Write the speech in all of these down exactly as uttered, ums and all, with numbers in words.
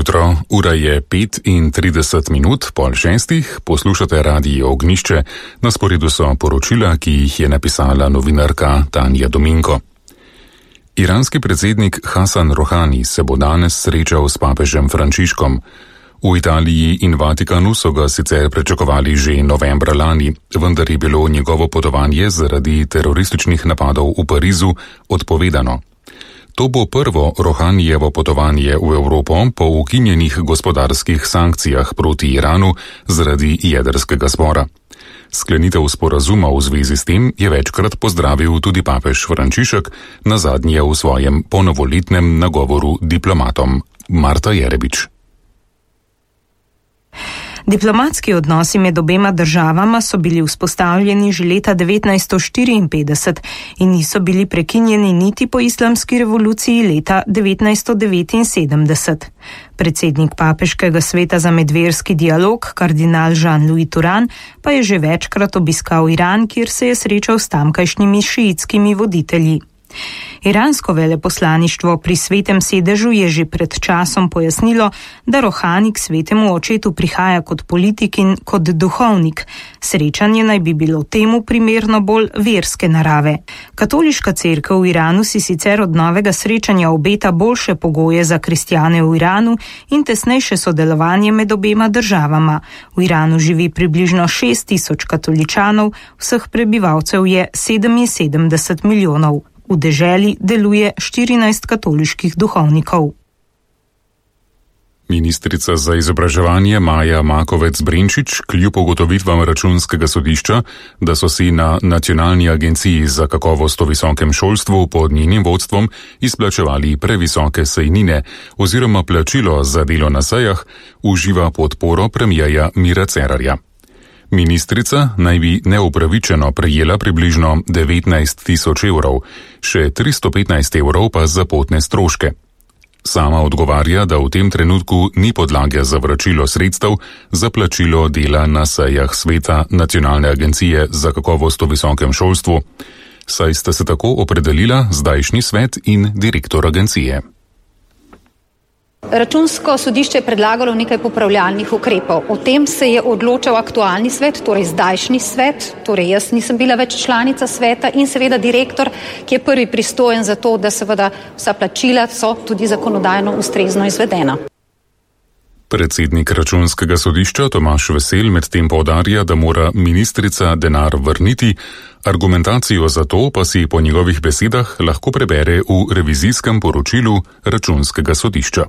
jutro, ura je pet in trideset minut, pol šestih, poslušate Radio Ognjišče, na sporedu so poročila, ki jih je napisala novinarka Tanja Dominko. Iranski predsednik Hasan Rohani se bo danes srečal s papežem Frančiškom. V Italiji in Vatikanu so ga sicer pričakovali že novembra lani, vendar je bilo njegovo potovanje zaradi terorističnih napadov v Parizu odpovedano. To bo prvo Rohanijevo potovanje v Evropo po ukinjenih gospodarskih sankcijah proti Iranu zaradi jedrskega spora. Sklenitev sporazuma v zvezi s tem je večkrat pozdravil tudi papež Frančišek, nazadnje v svojem ponovoletnem nagovoru diplomatom. Marta Jerebič. Diplomatski odnosi med obema državama so bili vzpostavljeni že leta devetnajststo štiriinpetdeset in niso bili prekinjeni niti po islamski revoluciji leta devetnajststo devetinsedemdeset. Predsednik Papeškega sveta za medverski dialog, kardinal Jean-Louis Turan, pa je že večkrat obiskal Iran, kjer se je srečal s tamkajšnjimi šiitskimi voditelji. Iransko veleposlaništvo pri svetem sedežu je že pred časom pojasnilo, da Rohani k svetemu očetu prihaja kot politik in kot duhovnik. Srečanje naj bi bilo temu primerno bolj verske narave. Katoliška cerkev v Iranu si sicer od novega srečanja obeta boljše pogoje za kristjane v Iranu in tesnejše sodelovanje med obema državama. V Iranu živi približno šest tisoč katoličanov, vseh prebivalcev je sedeminsedemdeset milijonov. V deželi deluje štirinajst katoliških duhovnikov. Ministrica za izobraževanje Maja Makovec-Brenčič kljub ugotovitvam računskega sodišča, da so si na Nacionalni agenciji za kakovost v visokem šolstvu pod njenim vodstvom izplačevali previsoke sejnine oziroma plačilo za delo na sejah, uživa podporo premierja Mira Cerarja. Ministrica naj bi neupravičeno prejela približno devetnajst tisoč evrov, še tristo petnajst evrov pa za potne stroške. Sama odgovarja, da v tem trenutku ni podlage za vračilo sredstev za plačilo dela na sejah sveta Nacionalne agencije za kakovost v visokem šolstvu, saj sta se tako opredelila zdajšnji svet in direktor agencije. Računsko sodišče je predlagalo nekaj popravljalnih ukrepov. O tem se je odločal aktualni svet, torej zdajšnji svet, torej jaz nisem bila več članica sveta in seveda direktor, ki je prvi pristojen za to, da seveda vsa plačila so tudi zakonodajno ustrezno izvedena. Predsednik računskega sodišča Tomaž Vesel medtem poudarja, da mora ministrica denar vrniti, argumentacijo za to pa si po njegovih besedah lahko prebere v revizijskem poročilu računskega sodišča.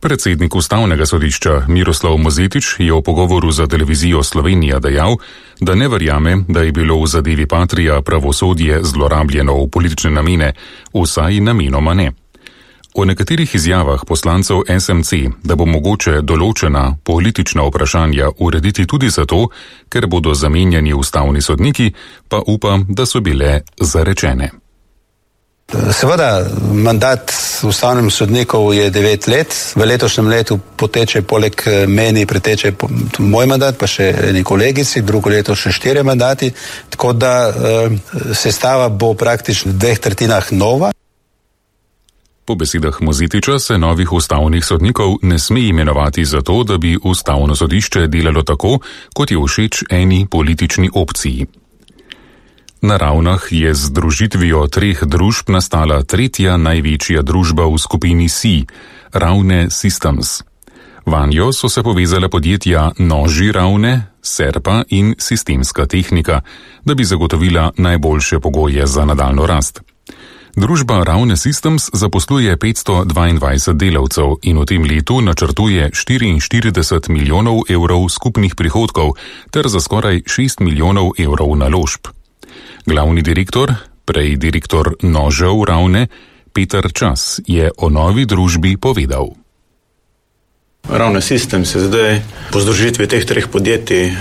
Predsednik Ustavnega sodišča Miroslav Mozetič je v pogovoru za televizijo Slovenija dejal, da ne verjame, da je bilo v zadevi Patria pravosodje zlorabljeno v politične namene, vsaj namenoma ne. O nekaterih izjavah poslancev es em ce, da bo mogoče določena politična vprašanja urediti tudi zato, ker bodo zamenjani ustavni sodniki, pa upa, da so bile zarečene. Seveda, mandat ustavnim sodnikov je devet let. V letošnjem letu poteče poleg meni preteče moj mandat, pa še eni kolegici, drugo leto še štiri mandati, tako da eh, sestava bo praktično v dveh tretjinah nova. Po besedah Mozetiča se novih ustavnih sodnikov ne sme imenovati zato, da bi ustavno sodišče delalo tako, kot je všeč eni politični opciji. Na Ravnah je z združitvijo treh družb nastala tretja največja družba v skupini C, Ravne Systems. Vanjo so se povezala podjetja Noži Ravne, Serpa in Sistemska tehnika, da bi zagotovila najboljše pogoje za nadaljno rast. Družba Ravne Systems zaposluje petsto dvaindvajset delavcev in v tem letu načrtuje štiriinštirideset milijonov evrov skupnih prihodkov ter za skoraj šest milijonov evrov naložb. Glavni direktor, prej direktor Nožev Ravne, Peter Čas, je o novi družbi povedal. Ravne Systems je zdaj po združitvi teh treh podjetij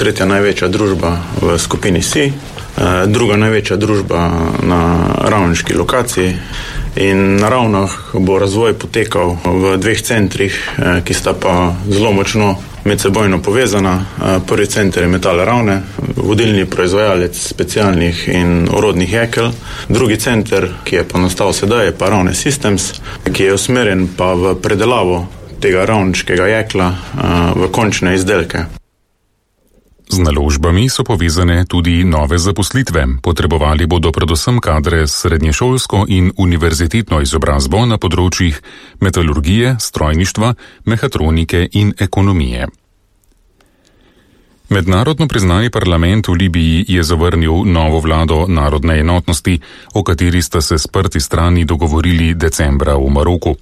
tretja največja družba v skupini C, druga največja družba na ravniški lokaciji in na Ravnah bo razvoj potekal v dveh centrih, ki sta pa zelo močno medsebojno povezana. Prvi center je Metal Ravne, vodilni proizvajalec specialnih in orodnih jekel. Drugi center, ki je pa nastal sedaj, je pa Ravne Systems, ki je usmerjen pa v predelavo tega ravniškega jekla v končne izdelke. Z naložbami so povezane tudi nove zaposlitve. Potrebovali bodo predvsem kadre s srednješolsko in univerzitetno izobrazbo na področjih metalurgije, strojništva, mehatronike in ekonomije. Mednarodno priznani parlament v Libiji je zavrnil novo vlado narodne enotnosti, o kateri sta se sprti strani dogovorili decembra v Maroku.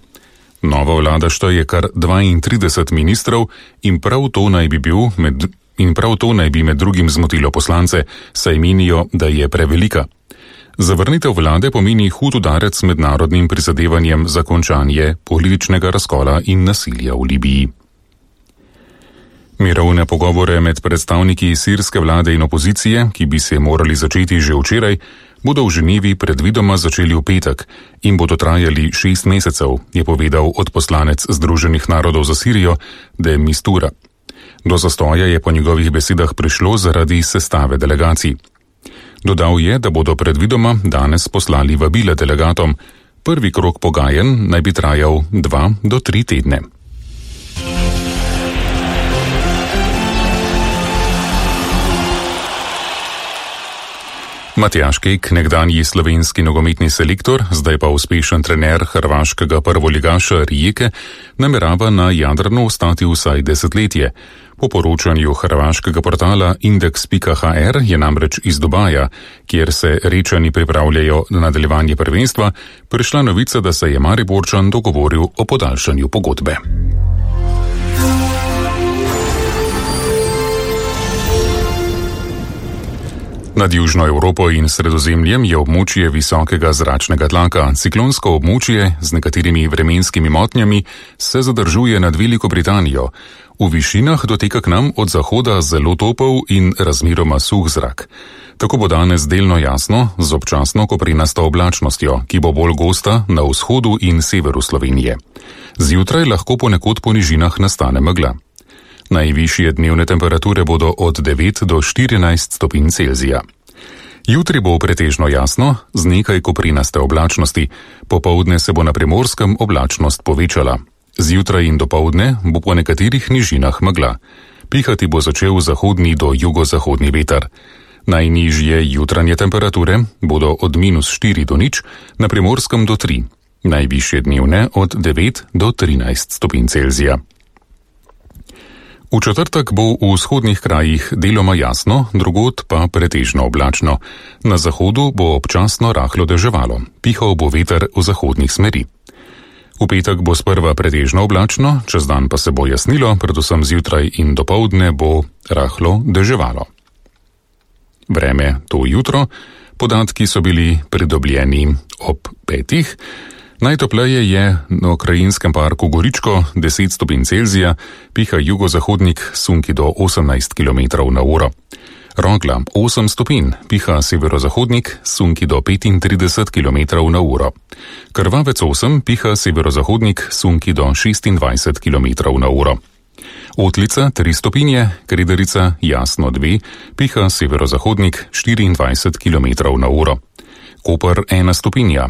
Nova vlada šteje kar dvaintrideset ministrov in prav to naj bi bil med In prav to naj bi med drugim zmotilo poslance, saj menijo, da je prevelika. Zavrnitev vlade pomeni hud udarec mednarodnim prizadevanjem za končanje političnega razkola in nasilja v Libiji. Mirovne pogovore med predstavniki sirske vlade in opozicije, ki bi se morali začeti že včeraj, bodo v Ženevi predvidoma začeli v petek in bodo trajali šest mesecev, je povedal odposlanec Združenih narodov za Sirijo de Mistura. Do zastoja je po njegovih besedah prišlo zaradi sestave delegacij. Dodal je, da bodo predvidoma danes poslali vabila delegatom. Prvi krog pogajanj naj bi trajal dva do tri tedne. Matjaž Kek, nekdanji slovenski nogometni selektor, zdaj pa uspešen trener hrvaškega prvoligaša Rijeke, namerava na Jadranu ostati vsaj desetletje. Po poročanju hrvaškega portala indeks pika ha er je namreč iz Dubaja, kjer se Rečani pripravljajo na nadaljevanje prvenstva, prišla novica, da se je Mariborčan dogovoril o podaljšanju pogodbe. Nad Južno Evropo in Sredozemljem je območje visokega zračnega tlaka. Ciklonsko območje z nekaterimi vremenskimi motnjami se zadržuje nad Veliko Britanijo. V višinah doteka k nam od zahoda zelo topel in razmeroma suh zrak. Tako bo danes delno jasno, z občasno koprenasto oblačnostjo, ki bo bolj gosta na vzhodu in severu Slovenije. Zjutraj lahko ponekod po nižinah nastane megla. Najvišje dnevne temperature bodo od devet do štirinajst stopinj Celzija. Jutri bo pretežno jasno, z nekaj koprenaste oblačnosti, popoldne se bo na Primorskem oblačnost povečala. Zjutraj in dopoldne bo po nekaterih nižinah megla. Pihati bo začel zahodni do jugozahodni veter. Najnižje jutranje temperature bodo od minus štiri do nič, na Primorskem do tri. Najvišje dnevne od devet do trinajst stopinj Celzija. V četrtek bo v vzhodnih krajih deloma jasno, drugod pa pretežno oblačno. Na zahodu bo občasno rahlo deževalo, pihal bo veter v zahodnih smeri. V petek bo sprva pretežno oblačno, čez dan pa se bo jasnilo, predvsem zjutraj in dopoldne bo rahlo deževalo. Vreme to jutro, podatki so bili pridobljeni ob petih. Najtopleje je na krajinskem parku Goričko, deset stopinj Celzija, piha jugozahodnik, sunki do osemnajst kilometrov na uro. Rogla osem stopinj, piha severozahodnik, sunki do petintrideset kilometrov na uro. Krvavec osem, piha severozahodnik, sunki do šestindvajset kilometrov na uro. Otlica tri stopinje, Krederica jasno dve, piha severozahodnik, štiriindvajset kilometrov na uro. Koper ena stopinja,